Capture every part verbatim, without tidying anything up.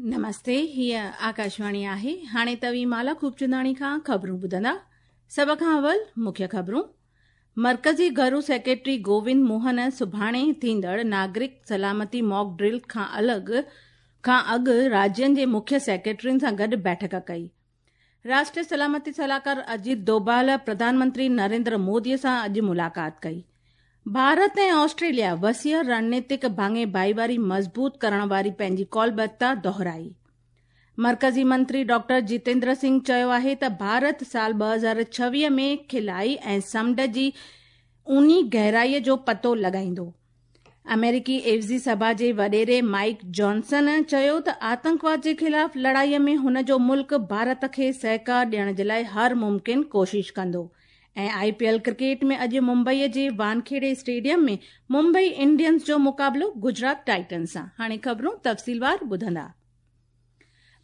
नमस्ते, हीअ आकाशवाणी आहे। हाणे तव्हीं माला खूबचंदाणी खां ख़बरूं ॿुधंदा। सभ खां अवल मुख्य ख़बरूं। मर्कज़ी घरू सेक्रेटरी गोविंद मोहन सुभाणे थींदड़ नागरिक सलामती मॉक ड्रिल खां अलॻि खां अॻु राज्यनि जे मुख्य सेक्रेटरियुनि सां गॾु बैठक कई। राष्ट्रीय सलामती सलाहकार अजीत डोभाल प्रधानमंत्री नरेंद्र मोदी सां अॼु मुलाक़ात कई। भारत ऐं ऑस्ट्रेलिया वसीअ रणनीतिक भाङे भाईवारी मज़बूत करण वारी पंहिंजी कौलबद्धता दोहराई। मर्कज़ी मंत्री डॉक्टर जितेंद्र सिंह चयो आहे त भारत साल ॿ हज़ार छवीह में खिलाई ऐं समुंड जी ऊनी गहराईअ जो पतो लॻाईंदो। अमेरिकी एवज़ी सभा जे वॾेरे माइक जॉनसन चयो त आतंकवाद जे ख़िलाफ़ लड़ाईअ में हुन जो मुल्क भारत खे सहकार ॾियण जे लाइ हर मुमकिन कोशिश कंदो। ऐं I P L cricket में अॼु मुंबईअ जे वानखेड़े स्टेडियम में मुंबई इंडियंस जो मुक़ाबिलो गुजरात टाइटन्स सां। हाणे ख़बरूं तफ़सीलवार ॿुधंदा।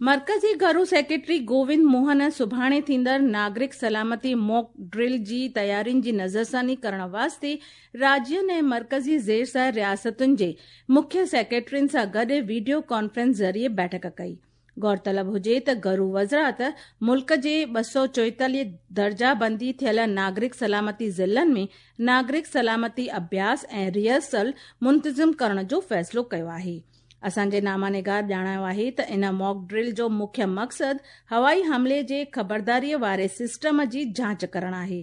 मर्कज़ी घरू सेक्रेटरी गोविंद मोहन सुभाणे थींदड़ नागरिक सलामती मॉक ड्रिल जी तयारियुनि जी नज़रसानी करण वास्ते राज्यनि ऐं मर्कज़ी ज़ेर रियासतुनि जे मुख्य सेक्रेटरियुनि सां गॾु वीडियो कॉन्फ्रेंस ज़रिए बैठक कई। गौरतलब हुजे त घरू वज़ारत मुल्क जे ॿ सौ चोएतालीह दर्जा बंदी थियल नागरिक सलामती ज़िलनि में नागरिक सलामती अभ्यास ऐं रिहर्सल मुंतज़िम करण जो फ़ैसिलो कयो आहे। असांजे नामानिगार ॼाणायो आहे त इन मॉक ड्रिल जो मुख्य मक़सदु हवाई हमले जे ख़बरदारीअ वारे सिस्टम जी जांच करण आहे।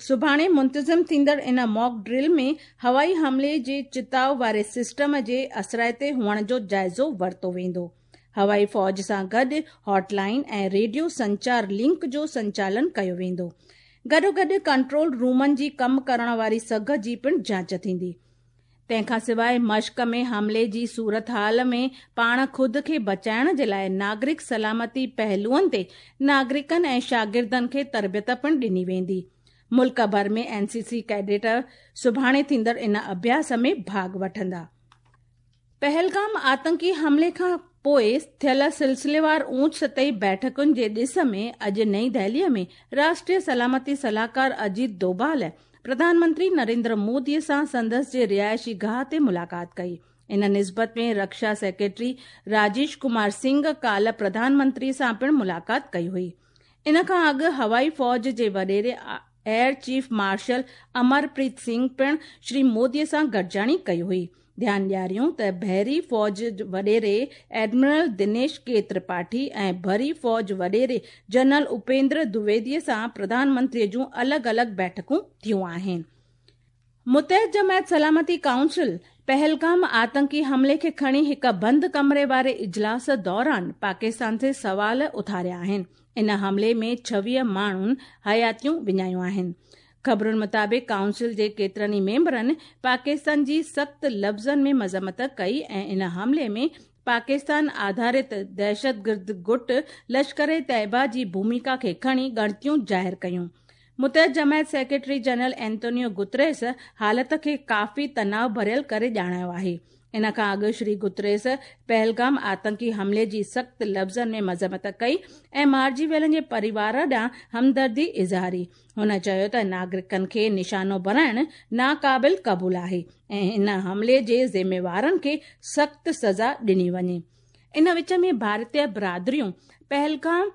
सुभाणे मुंतज़िम थींदड़ इन मॉक ड्रिल में हवाई हमले जे चिताव वारे सिस्टम जे असराइते हुअण जो जाइज़ो वरितो वेंदो। हवाई फ़ौज सां गॾु हॉटलाइन ऐं रेडियो संचार लिंक जो संचालन कयो वेंदो। गॾोगॾु कंट्रोल रूमनि जी कमु करण वारी सघ जी पिणु जांच थींदी। तंहिंखां सवाइ मश्क में हमले जी सूरत हाल में पाण ख़ुदि खे बचाइण जे लाइ नागरिक सलामती पहलुअनि ते नागरिकनि ऐं शागिर्दनि खे तरबियत पिणु ॾिनी वेंदी। मुल्क भर में एन सी सी कैडेट सुभाणे थींदड़ इन अभ्यास में भाॻ वठंदा। पहलगाम आतंकी हमले खां पोइ थियल सिलसिलेवार ऊंच सतही बैठकुनि जे ॾिस में अॼु नई दिल्लीअ में राष्ट्रीय सलामती सलाहकार अजीत डोभाल प्रधानमंत्री नरेंद्र मोदी सां संदसि जे रिहाइशी गाह ते मुलाक़ात कई। इन निस्बत में रक्षा सेक्रेटरी राजेश कुमार सिंह काल्ह प्रधानमंत्री सां पिणु मुलाक़ात कई हुई। इन खां अॻु हवाई फ़ौज जे वॾेरे air chief marshal Amarpreet Singh पिणु श्री मोदी सां गॾिजाणी कई हुई। ध्यानु ॾियारियूं त बहरी फ़ौज वॾेरे एडमिरल दिनेश के त्रिपाठी ऐं भरी फ़ौज वॾेरे जनरल उपेंद्र द्विवेदी सां प्रधानमंत्रीअ जूं अलॻि अलॻि बैठकूं थियूं आहिनि। मुतहद जमायत सलामती काउंसिल पहलगाम आतंकी हमले खे खणी हिकु बंदि कमरे वारे इजलास दौरान पाकिस्तान ते सवाल उथारिया आहिनि। इन हमले में छवीह माण्हुनि हयातियूं विञायूं आहिनि। ख़बरुनि मुताबिक़ काउंसिल जे केतिरनि ई मेंबरनि पाकिस्तान जी सख़्त लफ़्ज़नि में मज़म्मत कई ऐं इन हमले में पाकिस्तान आधारित दहशतगर्द गुट लश्कर तैयबा जी भूमिका खे खणी ॻणतियूं ज़ाहिर कयूं। मुतहद जमायत सेक्रेटरी जनरल एंटोनियो गुतरेस हालत खे काफ़ी तनाव भरियल करे ॼाणायो आहे। इन खां अॻु श्री गुतरेस पहलगाम आतंकी हमले जी सख़्त लफ़्ज़नि में मज़म्मत कई ऐं मारिजी वियलनि जे परिवार ॾांहुं हमदर्दी इज़हारी। हुन चयो त नागरिकनि खे निशानो बणाइणु नाक़ाबिल क़बूल आहे ऐं इन हमले जे ज़िम्मेवारनि खे सख़्त सज़ा ॾिनी वञे। इन विच में भारतीय बिरादरियूं पहलगाम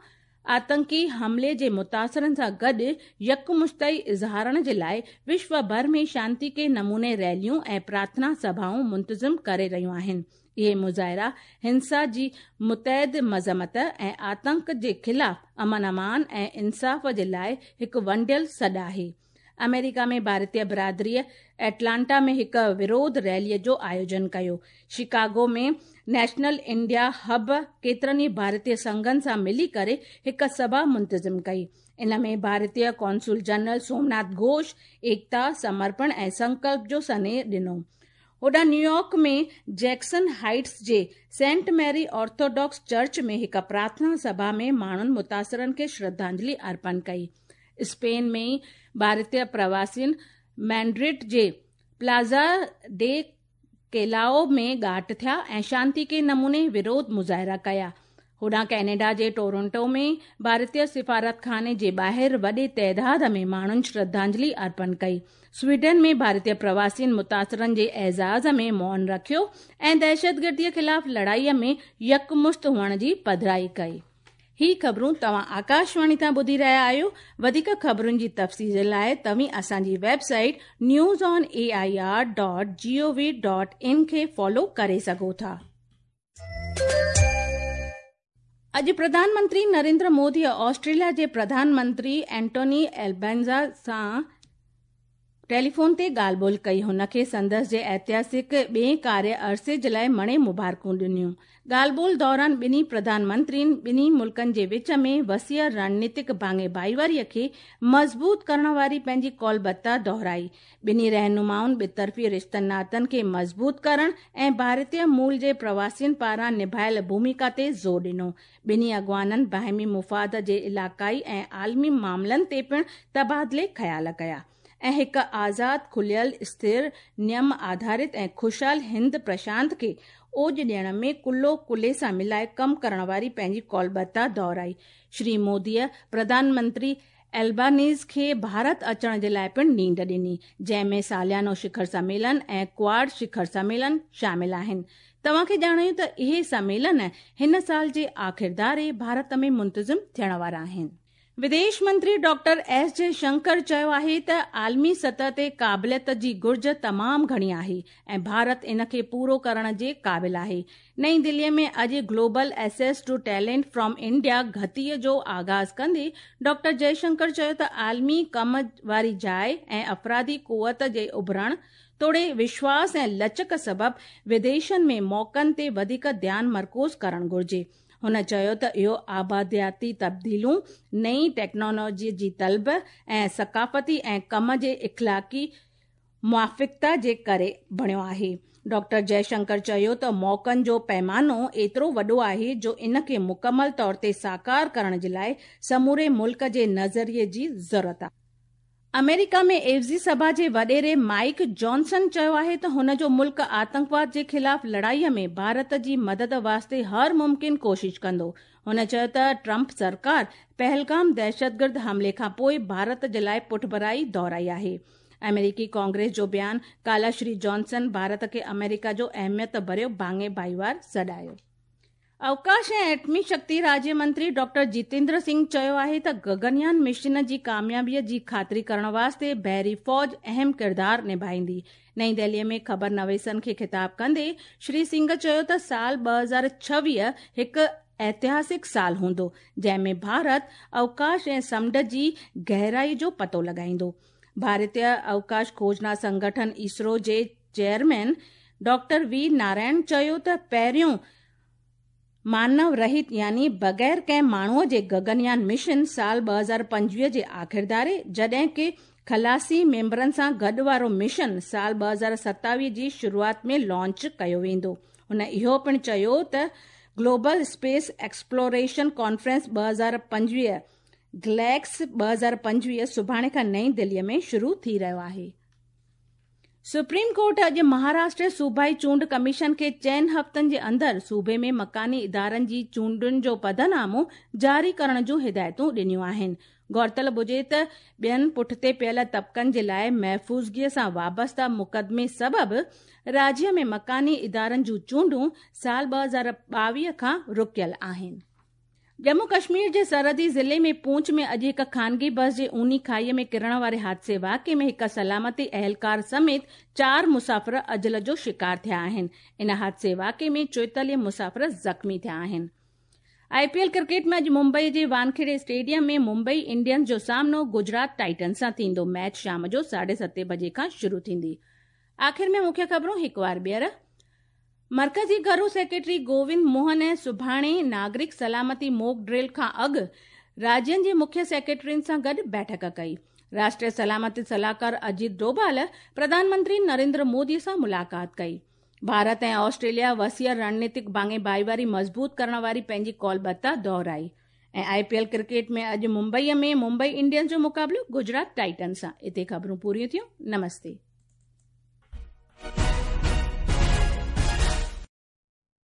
आतंकी हमले जे मुतासिरनि सां गॾु यकमुश्तई इज़हारण जे लाइ विश्व भर में शांति के नमूने रैलियूं ऐं प्रार्थना सभाऊं मुंतज़िम करे रहियूं आहिनि। इहे मुज़ाहिरा हिंसा जी मुतहद मज़म्मत ऐं आतंक जे ख़िलाफ़ अमन अमान ऐं इंसाफ़ जे लाइ हिकु वंडियल सॾु आहे। अमेरिका में भारतीय बिरादरीअ एटलांटा में हिकु विरोध रैलीअ जो आयोजन कयो। शिकागो में नेशनल इंडिया हब केतिरनि ई भारतीय संघनि सां मिली करे हिकु सभा मुंतज़िम कई। इन में भारतीय कौंसुल जनरल सोमनाथ घोष एकता, समर्पण ऐं संकल्प जो सनेह ॾिनो। होॾां न्यूयॉर्क में जैक्सन हाइट्स जे सेंट मैरी ऑर्थोडॉक्स चर्च में हिकु प्रार्थना सभा में माण्हुनि मुतासिरनि खे श्रद्धांजलि अर्पण कई। स्पेन में भारतीय प्रवासियुनि मैड्रिड जे प्लाजा डे केलाओ में ॻाठ थिया ऐं शांति के नमूने विरोध मुज़ाहिरा कया। هوڏانهن ڪئناڊا جي ٽورنٽو ۾ ڀارتيه سفارتخاني جي ٻاهر وڏي تعداد ۾ ماڻهن شرڌانجلي ارپڻ ڪئي. سوئيڊن ۾ ڀارتيه پرواسين متاثرن جي اعزاز ۾ مون رکيو ۽ دهشتگرديء خلاف لڙائي ۾ يڪمشت هئڻ جي پڌرائي ڪئي. هي خبرون توهان آڪاشواڻي تان ٻڌي رهيا آهيو. وڌيڪ خبرن جي تفصيل لاءِ توهين اسان جي website news on A I R dot G O V dot in کي فالو ڪري سگهو ٿا. اڄ پرڌان منتري نريندر مودي آسٽريليا جي پرڌان منتري اينٽوني البينزا سان ٽيليفون تي ڳالهه ٻولهه ڪئي. هن کي سندس جي اتهاسڪ ٻئي ڪاريه عرصي جي لاءِ مڻي مبارڪون ڏنيون. ڳالهه ٻولهه دوران ٻنهي پرڌان منترين ٻنهي ملڪن جي وچ ۾ وسيع رڻنيتڪ ڀاڱي ڀائيواريءَ کي مضبوط ڪرڻ واري پنهنجي ڪالبتا دهرائي. ٻنهي رهنمائن ٻطرفي رشتن ناتن کي مضبوط ڪرڻ ۽ ڀارتيه مول جي پرواسين پاران نڀايل ڀومڪا تي زور ڏنو. ٻنهي اڳواڻن باهمي مفاد جي علائقائي ۽ عالمي معاملن تي پڻ تبادلي خيال ڪيا ۽ هڪ آزاد، کليل، اسٿر، نيم آڌارت ۽ خوشحال هند پرشانت کي اوڄ ڏيڻ ۾ ڪلهو ڪلهي سان ملائي ڪم ڪرڻ واري پنهنجي ڪالبتا دهرائي. شري موديءَ پرڌان منتري البانيز کي ڀارت اچڻ جي لاءِ پڻ نينڍ ڏني، جنهن ۾ ساليانو شکر سميلن ۽ ڪواڊ شکر سميلن شامل آهن. توهان کي ڄاڻايون ته اهي سميلن هن سال جي آخر ڌاري ڀارت ۾ منتظم ٿيڻ وارا آهن. وديش منتري ڊاڪٽر ايس جئشنڪر چيو آهي ته عالمي سطح تي قابليت جي گهرج تمام گهڻي آهي ۽ ڀارت ان کي پورو ڪرڻ جي قابل آهي. نئين دليءَ ۾ اڄ global access to talent from India گتيءَ جو آغاز ڪندي ڊاڪٽر جئشنڪر چيو ته عالمي ڪم واري جاءِ ۽ افرادي قوت جي اڀرڻ توڙي وشواس ۽ لچڪ سبب وديشن ۾ موقعن تي وڌيڪ ڌيان مرڪوز ڪرڻ گهرجي. هن چيو ته اهو آبادياتي تبديلون، نئين ٽيڪنالاجي جي طلب ۽ ثقافتي ۽ ڪم جي اخلاقي موافقتا جي ڪري بڻيو آهي. ڊاڪٽر جئشنڪر چيو ته موقعن جو پيمانو ايترو وڏو آهي جو ان کي مڪمل طور تي ساڪار ڪرڻ جي لاءِ سموري ملڪ جي نظريي جي ضرورت آهي. آمريڪا ۾ عيوضي سڀا جي وڏيري مائيڪ جانسن چيو آهي ته هن جو ملڪ آتنڪواد جي خلاف لڙائيءَ ۾ ڀارت جي مدد واسطي هر ممڪن ڪوشش ڪندو. هن چيو ته ٽرمپ سرڪار پهلگام دهشتگرد حملي کان پوءِ ڀارت جي لاءِ پٺڀرائي دهرائي آهي. آمريڪي ڪانگريس جو بيان ڪالهه شري جانسن ڀارت کي آمريڪا جو اهميت ڀريو ڀاڱي ڀائيوار سڏايو. अवकाश ऐं एटमी शक्ति राज्य मंत्री डॉक्टर जितेंद्र सिंह चयो आहे त गगनयान मिशन जी कामयाबीअ जी ख़ातिरी करण वास्ते बहरी फ़ौज अहम किरदारु निभाईंदी. नई दिल्लीअ में ख़बर नवेसनि खे ख़िताब कंदे श्री सिंह चयो त साल ٻه هزار ڇويهه هڪ ऐतिहासिक साल हूंदो, जंहिं में भारत अवकाश ऐं समुंड जी गहराई जो पतो लॻाईंदो. भारतीय अवकाश खोजना संगठन इसरो जे चेयरमैन डॉक्टर वी नारायण चयो त पहिरियों मानव रहित यानी बग़ैर कंहिं माण्हूअ जे गगनयान मिशन साल ٻه هزار پنجويهه جي آخر ڌاري، جڏهن ڪه خلاصي ميمبرن سان گڏ وارو مشن سال ٻه هزار ستاويهه جي شروعات ۾ لانچ ڪيو ويندو. هن اهو پڻ چيو ته گلوبل اسپيس ايڪسپلوريشن ڪانفرنس ٻه هزار پنجويهه گليڪس ٻه هزار پنجويهه سڀاڻي کان نئين دليءَ ۾ شروع ٿي رهيو آهي. سپريم ڪورٽ اڄ مهاراشٽر صوبائي چونڊ ڪميشن کي چئن هفتن جي اندر صوبي ۾ مڪاني ادارن جي چونڊن جو پڌرنامو جاري ڪرڻ جون هدايتون ڏنيون آهن. غورطلب هجي ته ٻين پٺتي پيل طبقن جي لاءِ محفوظگيءَ سان وابسته مقدمي سبب راجيه ۾ مڪاني ادارن جون چونڊون سال ٻه هزار ٻاويهه کان رڪيل آهن. ڄمون ڪشمير جي سرحدي ضلعي ۾ پونڇ ۾ اڄ هڪ خانگي بس جي اوني کائيءَ ۾ ڪرڻ واري حادثي واقعي ۾ هڪ سلامتي اهلڪار سميت چار مسافر اجل جو شڪار ٿيا آهن. ان حادثي واقعي ۾ چوئيتاليهه مسافر زخمي ٿيا آهن. I P L cricket ۾ اڄ ممبئي جي وانکيڙي اسٽيڊيم ۾ ممبئي انڊينز جو سامنو گجرات ٽائٽنز سان ٿيندو. ميچ شام جو ساڍي ستين بجي کان شروع ٿيندي. آخر ۾ مکيه خبرون هڪ وار ٻيهر. مرڪزي گهرو سيڪريٽري گووند موهن سڀاڻي ناگرڪ سلامتي موڪ ڊرل کان اڳ راجين جي مکيه سيڪريٽرين سان گڏ بيٺڪ ڪئي. راشٽريه سلامتي صلاحڪار اجيت ڊوڀال پرڌان منتري نريندر مودي سان ملاقات ڪئي. ڀارت ۽ آسٽريليا وسيع رڻنيتڪ ڀاڱي ڀائيواري مضبوط ڪرڻ واري پنهنجي ڪالبتا دهرائي. ۽ I P L cricket ۾ اڄ ممبئيءَ ۾ ممبئي انڊينز جو مقابلو گجرات ٽائٽنز سان. هتي خبرون پوريون ٿيون. نمستي.